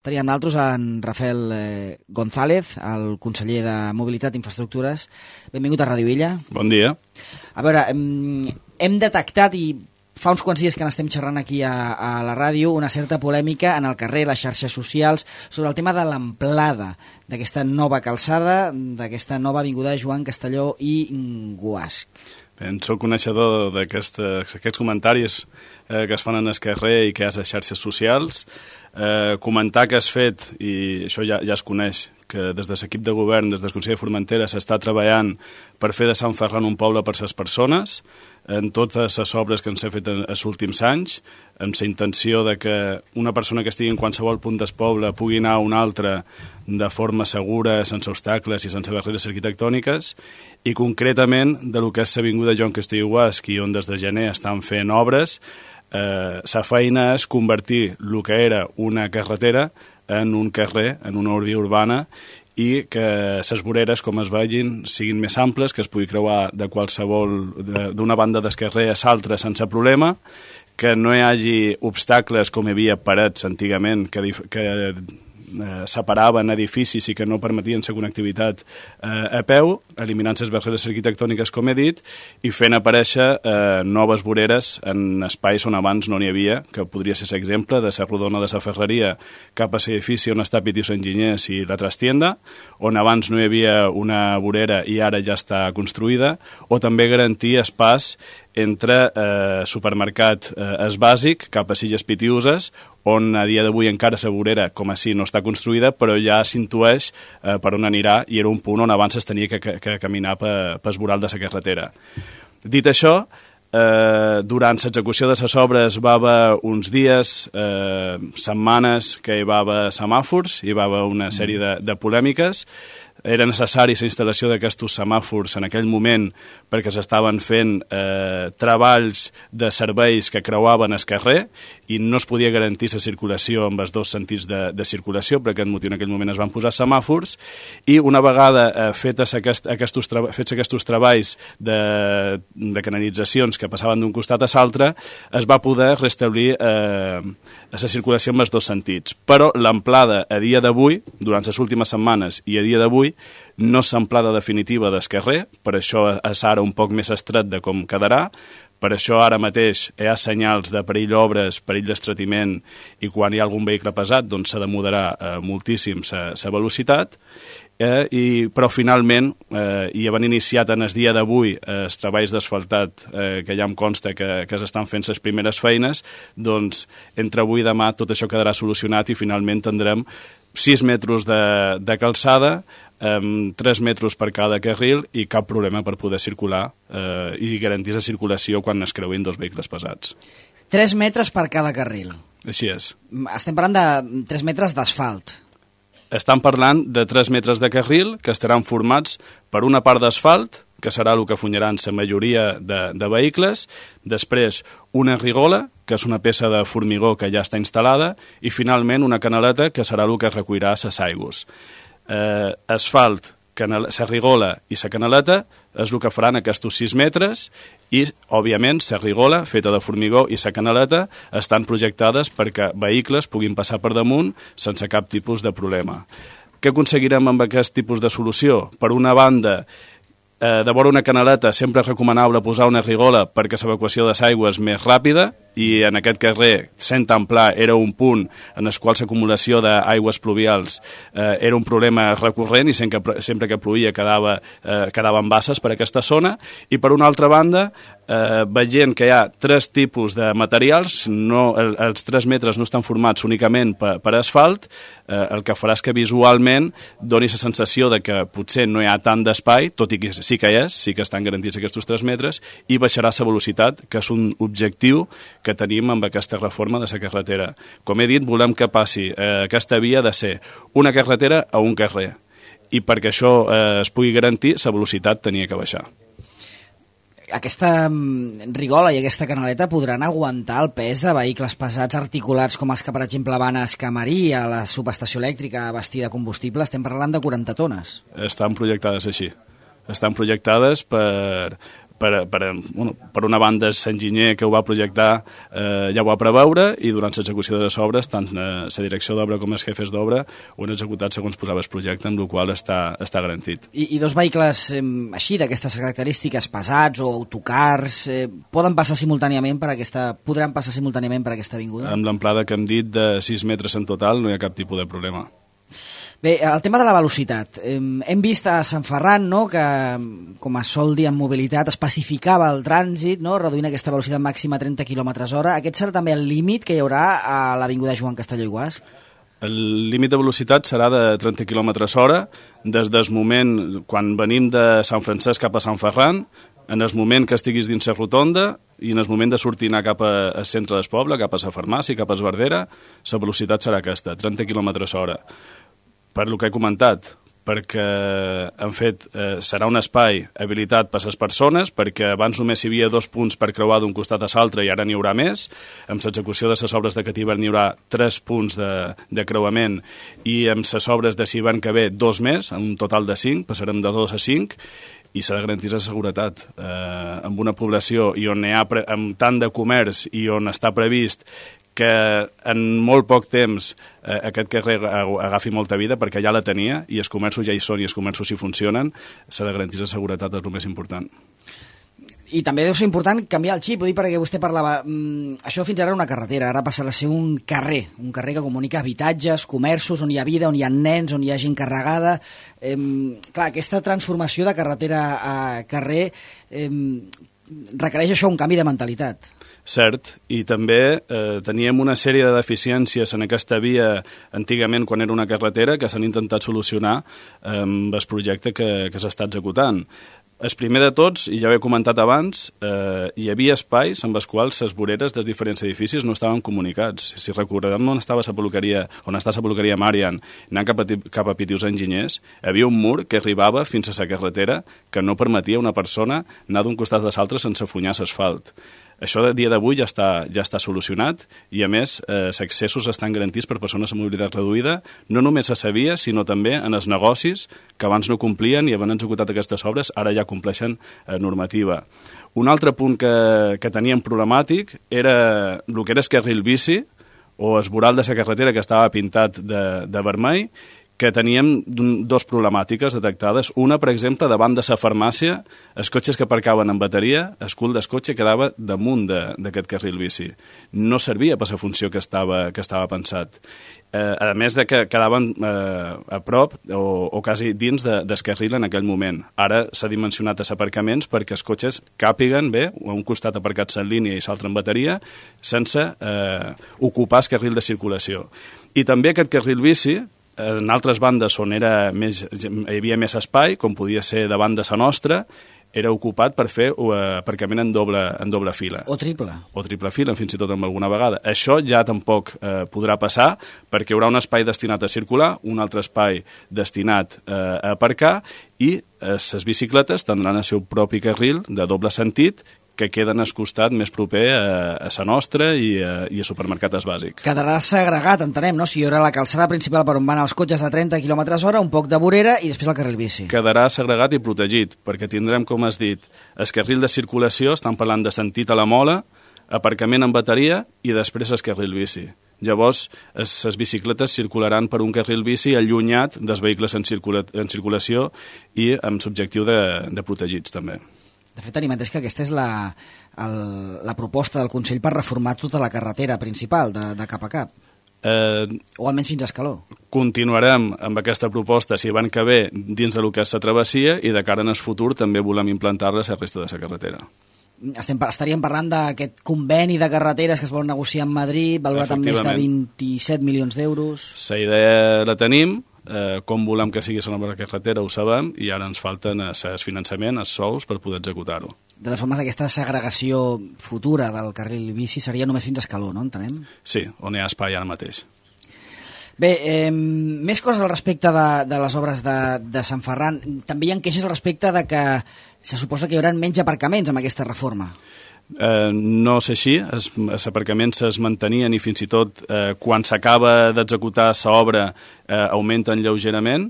Teníem nosaltres en Rafael González, el conseller de Mobilitat i Infraestructures. Benvingut a Ràdio Illa. Bon dia. A veure, hem detectat, i fa uns quants dies que n'estem xerrant aquí a la ràdio, una certa polèmica en el carrer, les xarxes socials, sobre el tema de l'amplada d'aquesta nova calçada, d'aquesta nova avinguda Joan Castelló i Guasch. Soc coneixedor d'aquests comentaris que es fan en el carrer i que hi ha a les xarxes socials. Comentar que has fet, i això ja es coneix, que des de l'equip de govern, des del Consell de Formentera, s'està treballant per fer de Sant Ferran un poble per les persones, en totes les obres que ens hem fet en els últims anys, amb la intenció de que una persona que estigui en qualsevol punt del poble pugui anar a una altra de forma segura, sense obstacles i sense barreres arquitectòniques, i concretament de lo que és l'avinguda Joan Castelló i Guasch, i on des de gener estan fent obres. La feina és convertir el que era una carretera en un carrer, en una via urbana, i que les voreres, com es vegin, siguin més amples, que es pugui creuar de qualsevol, d'una banda del carrer a l'altra sense problema, que no hi hagi obstacles com hi havia parets antigament que separaven edificis i que no permetien la connectivitat a peu, eliminant les barreres arquitectòniques, com he dit, i fent aparèixer noves voreres en espais on abans no n'hi havia, que podria ser l'exemple de la rodona de la ferreria cap a l'edifici on està Pitius Enginyers i la trastienda, on abans no hi havia una vorera i ara ja està construïda, o també garantir espais entre supermercat es bàsic cap a Silles Pitiuses, on a dia d'avui encara la vorera com així no està construïda, però ja s'intueix per on anirà, i era un punt on abans es tenia que caminar pel voral de la carretera. Dit això, durant l'execució de les obres va haver uns dies, setmanes, que hi va haver semàfors, hi va haver una sèrie de polèmiques. Era necessari la instal·lació d'aquests semàfors en aquell moment perquè s'estaven fent treballs de serveis que creuaven el carrer i no es podia garantir la circulació amb els dos sentits de circulació. Per aquest motiu en aquell moment es van posar semàfors, i una vegada fets aquests treballs de canalitzacions que passaven d'un costat a l'altre, es va poder restablir la circulació amb els dos sentits. Però l'amplada a dia d'avui, durant les últimes setmanes i a dia d'avui, no és l'amplada definitiva del carrer, per això és ara un poc més estret de com quedarà. Per això ara mateix hi ha senyals de perill d'obres, perill d'estretiment, i quan hi ha algun vehicle pesat doncs s'ha de moderar moltíssim la velocitat. Però finalment, i havent iniciat en el dia d'avui els treballs d'asfaltat, que ja em consta que s'estan fent les primeres feines, doncs entre avui i demà tot això quedarà solucionat i finalment tindrem 6 metres de calçada, 3 metres per cada carril i cap problema per poder circular i garantir la circulació quan es creuin dos vehicles pesats. 3 metres per cada carril. Així és. Estem parlant de 3 metres d'asfalt. Estan parlant de 3 metres de carril que estaran formats per una part d'asfalt, que serà el que funyaran la majoria de vehicles, després una rigola, que és una peça de formigó que ja està instal·lada, i finalment una canaleta, que serà el que recollirà les aigües. Asfalt, la rigola i la canaleta és el que faran aquests 6 metres, i, òbviament, la rigola, feta de formigó, i la canaleta estan projectades perquè vehicles puguin passar per damunt sense cap tipus de problema. Què aconseguirem amb aquest tipus de solució? Per una banda, de vora una canaleta sempre és recomanable posar una rigola perquè l'evacuació de l'aigua és més ràpida, i en aquest carrer, sent tan pla, era un punt en el qual l'acumulació d'aigües pluvials era un problema recurrent, i sempre que plovia quedaven basses per aquesta zona. I per una altra banda, veient que hi ha 3 tipus de materials, els 3 metres no estan formats únicament per asfalt, el que farà és que visualment doni la sensació de que potser no hi ha tant d'espai, tot i que sí que hi és, sí que estan garantits aquests 3 metres, i baixarà la velocitat, que és un objectiu que tenim amb aquesta reforma de la carretera. Com he dit, volem que passi aquesta via de ser una carretera a un carrer, i perquè això es pugui garantir, la velocitat tenia que baixar. Aquesta rigola i aquesta canaleta podran aguantar el pes de vehicles pesats articulats com els que, per exemple, van a Escamarí, a la subestació elèctrica a bastir de combustible? Estem parlant de 40 tones. Estan projectades així. Estan projectades per una banda, l'enginyer que ho va projectar ja ho va preveure, i durant l'execució de les obres, tant la direcció d'obra com els jefes d'obra ho han executat segons posava el projecte, amb el qual està garantit. I dos vehicles així, d'aquestes característiques, pesats o autocars, podran passar simultàniament per aquesta avinguda? Amb l'amplada que hem dit de 6 metres en total no hi ha cap tipus de problema. Bé, el tema de la velocitat. Hem vist a Sant Ferran, no?, que, com es sol dir en mobilitat, especificava el trànsit, no?, reduint aquesta velocitat màxima a 30 km/h. Aquest serà també el límit que hi haurà a l'avinguda Joan Castelló i Guasch? El límit de velocitat serà de 30 km/h des del moment, quan venim de Sant Francesc cap a Sant Ferran, en el moment que estiguis dins la rotonda i en el moment de sortir anar cap al centre del poble, cap a la farmàcia, cap a Esbardera, la velocitat serà aquesta, 30 km/h. Per el que he comentat, perquè en fet serà un espai habilitat per les persones, perquè abans només hi havia 2 punts per creuar d'un costat a l'altre i ara n'hi haurà més. Amb l'execució de les obres de Catíver n'hi haurà 3 punts de creuament, i amb les obres de l'hivern que ve 2 més, en un total de 5, passarem de 2 a 5, i s'ha de garantir la seguretat. Amb una població i on hi ha amb tant de comerç i on està previst que en molt poc temps aquest carrer agafi molta vida, perquè ja la tenia, i els comerços ja hi són i els comerços hi funcionen, s'ha de garantir la seguretat, és el més important. I també deu ser important canviar el xip, ho dic perquè vostè parlava, això fins ara era una carretera, ara passarà a ser un carrer que comunica habitatges, comerços, on hi ha vida, on hi ha nens, on hi ha gent carregada. Clar, aquesta transformació de carretera a carrer requereix això un canvi de mentalitat. Cert, i també teníem una sèrie de deficiències en aquesta via antigament quan era una carretera que s'han intentat solucionar amb el projecte que s'està executant. El primer de tots, i ja ho he comentat abans, hi havia espais amb els quals les voreres dels diferents edificis no estaven comunicats. Si recordem on està la peluqueria Marian, anant cap a Pitius Enginyers, hi havia un mur que arribava fins a la carretera que no permetia a una persona anar d'un costat a l'altre sense afunyar l'asfalt. Això a dia d'avui ja està solucionat, i a més els accessos estan garantits per persones amb mobilitat reduïda, no només a la via, sinó també en els negocis que abans no complien i havent executat aquestes obres ara ja compleixen normativa. Un altre punt que teníem problemàtic era el que era el carril bici o el voral de la carretera que estava pintat de vermell, que teníem 2 problemàtiques detectades. Una, per exemple, davant de la farmàcia, els cotxes que aparcaven en bateria, el cul del cotxe quedava damunt d'aquest carril bici. No servia per la funció que estava pensat. A més de que quedaven a prop o quasi dins del carril en aquell moment. Ara s'ha dimensionat els aparcaments perquè els cotxes càpiguen bé, a un costat aparcats en línia i l'altre en bateria, sense ocupar el carril de circulació. I també aquest carril bici, en altres bandes on hi havia més espai, com podia ser davant de la nostra, era ocupat per fer aparcament en doble fila. O triple. O triple fila, fins i tot en alguna vegada. Això ja tampoc podrà passar, perquè hi haurà un espai destinat a circular, un altre espai destinat a aparcar, i les bicicletes tindran el seu propi carril de doble sentit, que queden al costat més proper a la nostra i a supermercat bàsic. Quedarà segregat, entenem, no? Si hi haurà la calçada principal per on van els cotxes a 30 km/h, un poc de vorera i després el carril bici. Quedarà segregat i protegit, perquè tindrem, com has dit, el carril de circulació, estan parlant de sentit a la mola, aparcament en bateria i després el carril bici. Llavors, les bicicletes circularan per un carril bici allunyat dels vehicles en circulació i amb l'objectiu de protegits, també. De fet, tenim entès que aquesta és la proposta del Consell per reformar tota la carretera principal de cap a cap. O almenys fins a Escaló. Continuarem amb aquesta proposta, si van que ve, dins del que és la travessia, i de cara en el futur també volem implantar-la a la resta de la carretera. Estaríem parlant d'aquest conveni de carreteres que es vol negociar amb Madrid, valorat amb més de 27 milions d'euros. La idea la tenim, com volem que sigui la nova carretera ho sabem, i ara ens falten el finançament, els sous per poder executar-ho. De totes formes, aquesta segregació futura del carril bici seria només fins a Escaló, no? Entenem? Sí, on hi ha espai ara mateix. Bé, més coses al respecte de les obres de Sant Ferran. També hi ha queixes al respecte de que se suposa que hi haurà menys aparcaments amb aquesta reforma. No és així, els aparcaments es mantenien i fins i tot quan s'acaba d'executar l'obra augmenten lleugerament.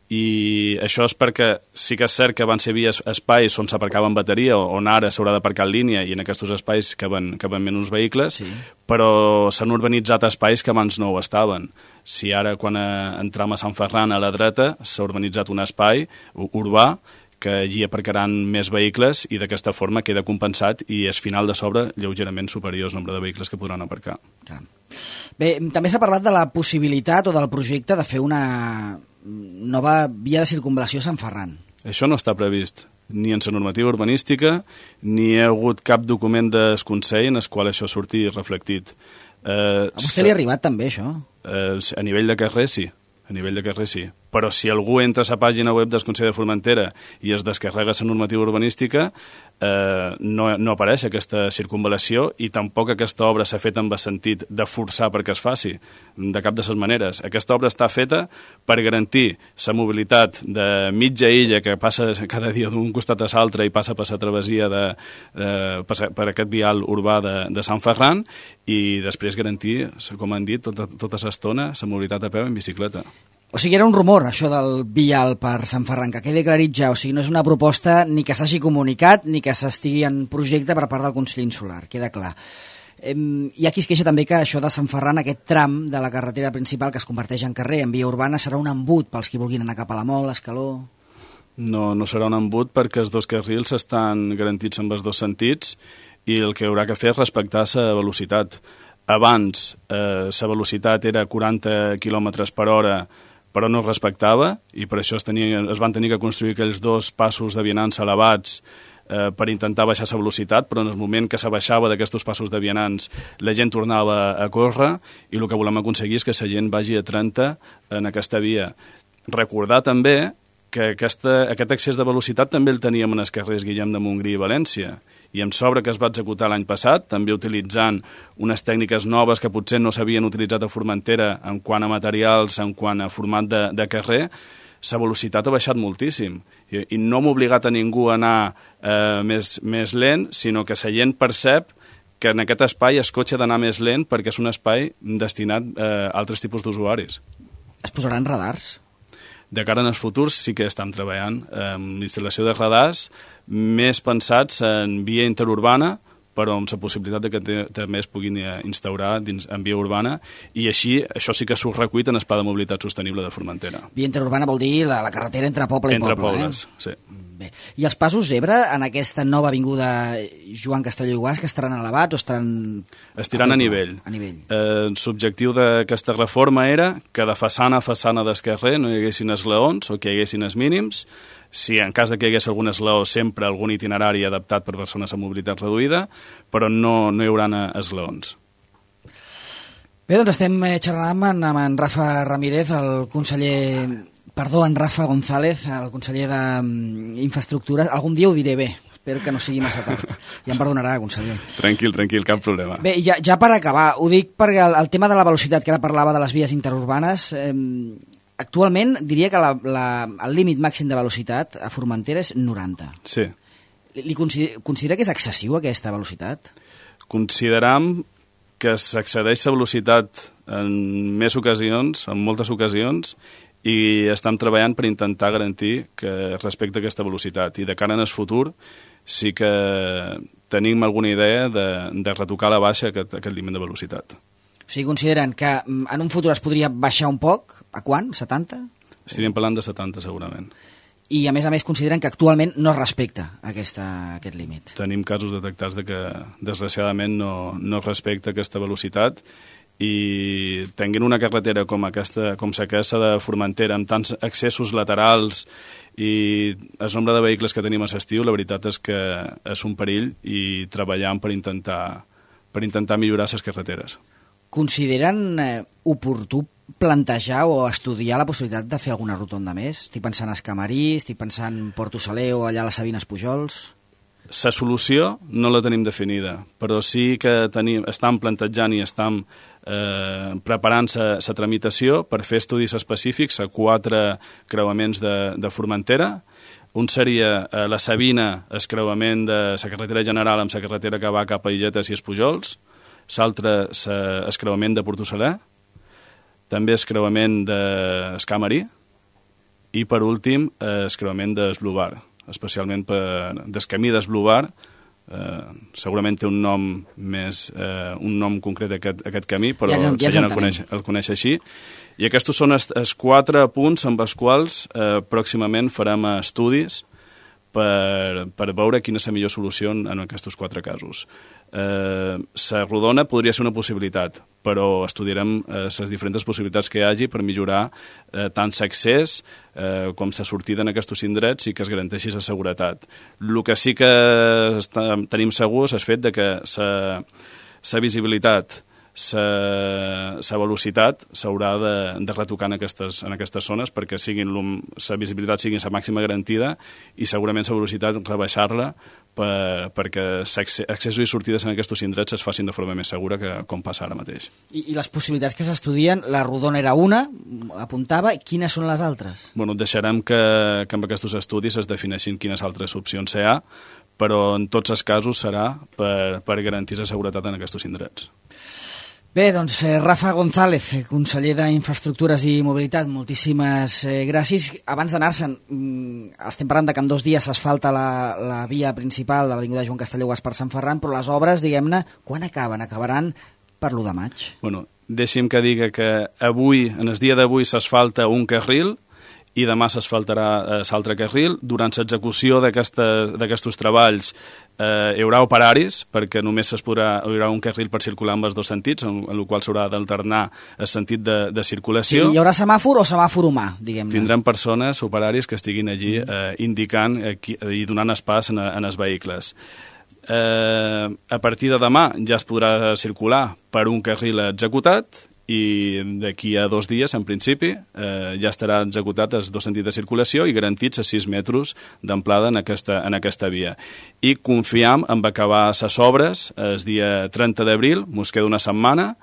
i això és perquè sí que és cert que van ser vies espais on s'aparcava en bateria, on ara s'haurà d'aparcar en línia, i en aquests espais caben menys vehicles, però s'han urbanitzat espais que abans no ho estaven. Si ara, quan entrem a Sant Ferran a la dreta, s'ha urbanitzat un espai urbà que allí aparcaran més vehicles i d'aquesta forma queda compensat i és final de sobre lleugerament superior al nombre de vehicles que podran aparcar. Bé, també s'ha parlat de la possibilitat o del projecte de fer una nova via de circunvalació a Sant Ferran. Això no està previst ni en la normativa urbanística ni hi ha hagut cap document del Consell en el qual això surti reflectit. A vostè li ha arribat també això? A nivell de carrer sí. A nivell de carrer sí. Però si algú entra a la pàgina web del Consell de Formentera i es descarrega la normativa urbanística, no apareix aquesta circunvalació i tampoc aquesta obra s'ha fet amb el sentit de forçar perquè es faci, de cap de les maneres. Aquesta obra està feta per garantir la mobilitat de mitja illa que passa cada dia d'un costat a l'altre i passa per la travessia per aquest vial urbà de Sant Ferran i després garantir, com han dit, tota l'estona la mobilitat a peu en bicicleta. O sigui, era un rumor, això del vial per Sant Ferran, que quedi aclarit ja. O sigui, no és una proposta ni que s'hagi comunicat ni que s'estigui en projecte per part del Consell Insular, queda clar. Hi ha qui es queixa també que això de Sant Ferran, aquest tram de la carretera principal que es converteix en carrer, en via urbana, serà un embut pels qui vulguin anar cap a la Mol, Escaló... No serà un embut perquè els dos carrils estan garantits en els dos sentits i el que haurà que fer és respectar la velocitat. Abans la velocitat era 40 km per hora però no es respectava i per això es van tenir que construir aquells dos passos de vianants elevats per intentar baixar la velocitat, però en el moment que s'abaixava d'aquests passos de vianants la gent tornava a córrer i el que volem aconseguir és que la gent vagi a 30 en aquesta via. Recordar també que aquest excés de velocitat també el teníem en els carrers Guillem de Montgrí i València i amb sobre que es va executar l'any passat, també utilitzant unes tècniques noves que potser no s'havien utilitzat a Formentera en quant a materials, en quant a format de carrer, la velocitat ha baixat moltíssim. I no hem obligat a ningú a anar més lent, sinó que la gent percep que en aquest espai el cotxe ha d'anar més lent perquè és un espai destinat a altres tipus d'usuaris. Es posaran radars? De cara en el futur sí que estem treballant amb l'instal·lació de radars més pensats en via interurbana, però amb la possibilitat de que també es puguin instaurar en via urbana i així això sí que surt recuit en el Pla de Mobilitat Sostenible de Formentera. Via interurbana vol dir la carretera entre poble i poble. Entre pobles, sí. Bé. I els passos zebra en aquesta nova avinguda Joan Castelló i Guàs que estaran elevats o estaran... Estiran a nivell. L'objectiu d'aquesta reforma era que de façana a façana del carrer no hi haguessin esglaons o que hi haguessin els mínims. Si en cas de que hi hagués algun esglaó, sempre algun itinerari adaptat per persones amb mobilitat reduïda, però no hi haurà esglaons. Bé, doncs estem xerrant amb en Rafa Ramírez, el conseller... Perdó, en Rafa González, el conseller d'Infraestructures. Algun dia ho diré bé, espero que no sigui massa tard. Ja em perdonarà, conseller. Tranquil, cap problema. Bé, ja per acabar, ho dic perquè el tema de la velocitat, que ara parlava de les vies interurbanes, actualment diria que el límit màxim de velocitat a Formentera és 90. Sí. Considera que és excessiu aquesta velocitat? Consideram que s'accedeix a velocitat en moltes ocasions, i estem treballant per intentar garantir que respecte a aquesta velocitat. I de cara en el futur sí que tenim alguna idea de retocar a la baixa aquest límit de velocitat. O sigui, consideren que en un futur es podria baixar un poc? A quant? 70? Estaríem parlant de 70, segurament. I, a més, consideren que actualment no es respecta aquest límit. Tenim casos detectats de que, desgraciadament, no es respecta aquesta velocitat i tenint una carretera com la que de Formentera, amb tants accessos laterals i el nombre de vehicles que tenim a l'estiu, la veritat és que és un perill i treballant per intentar millorar les carreteres. Consideren oportú plantejar o estudiar la possibilitat de fer alguna rotonda més? Estic pensant a Escamarí, estic pensant Porto Saler o allà a les Sabines Pujols... La solució no la tenim definida, però sí que estem plantejant i estem preparant la tramitació per fer estudis específics a 4 creuaments de Formentera. Un seria la Sabina, el creuament de la carretera general amb la carretera que va cap a Illetes i els Pujols, l'altre el creuament de Porto Saler, també el creuament d'Escamarí, i per últim el creuament d'Esblubar, especialment del camí d'Esblubar. Segurament té un nom concret aquest camí, però la gent el coneix així, i aquests són els 4 punts amb els quals pròximament farem estudis per veure quina és la millor solució en aquests 4 casos. La rodona podria ser una possibilitat, però estudiarem les diferents possibilitats que hi hagi per millorar tant l'accés com la sortida en aquests indrets i que es garanteixi la seguretat. El que sí que tenim segur és el fet de que la visibilitat, la velocitat s'haurà de retocar en aquestes zones perquè la visibilitat sigui la màxima garantida i segurament la velocitat rebaixar-la perquè accessos i sortides en aquests indrets es facin de forma més segura que com passa ara mateix. I les possibilitats que s'estudien, la rodona era una, apuntava, quines són les altres? Bueno, deixarem que amb aquests estudis es defineixin quines altres opcions hi ha, però en tots els casos serà per garantir la seguretat en aquests indrets. Bé, doncs Rafa González, conseller d'Infraestructures i Mobilitat, moltíssimes gràcies. Abans d'anar-se'n, estem parlant que en 2 dies s'asfalta la via principal de l'avinguda Joan Castelló per Sant Ferran, però les obres, diguem-ne, quan acaben? Acabaran per l'1 de maig. Bueno, deixi'm que diga que avui, en el dia d'avui, s'asfalta un carril i demà s'asfaltarà l'altre carril. Durant l'execució d'aquests treballs hi haurà operaris, perquè només hi haurà un carril per circular en els 2 sentits, en el qual s'haurà d'alternar el sentit de circulació. Sí, hi haurà semàfor o semàfor humà, diguem-ne? Tindrem persones, operaris, que estiguin allí indicant i donant pas en els vehicles. A partir de demà ja es podrà circular per un carril executat i d'aquí a 2 dies, en principi, ja estarà executat els 2 sentits de circulació i garantits els 6 metres d'amplada en aquesta via. I confiam en acabar les obres el dia 30 d'abril, mos queda una setmana.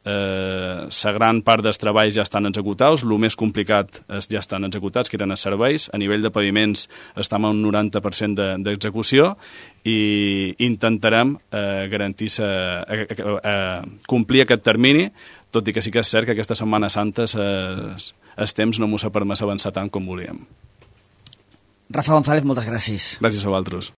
La gran part dels treballs ja estan executats, el més complicat ja estan executats, que eren els serveis. A nivell de paviments estem a un 90% d'execució i intentarem complir aquest termini, tot i que sí que és cert que aquesta Setmana Santa els temps no mos ha permès avançar tant com volíem. Rafa González, moltes gràcies. Gràcies a vosaltres.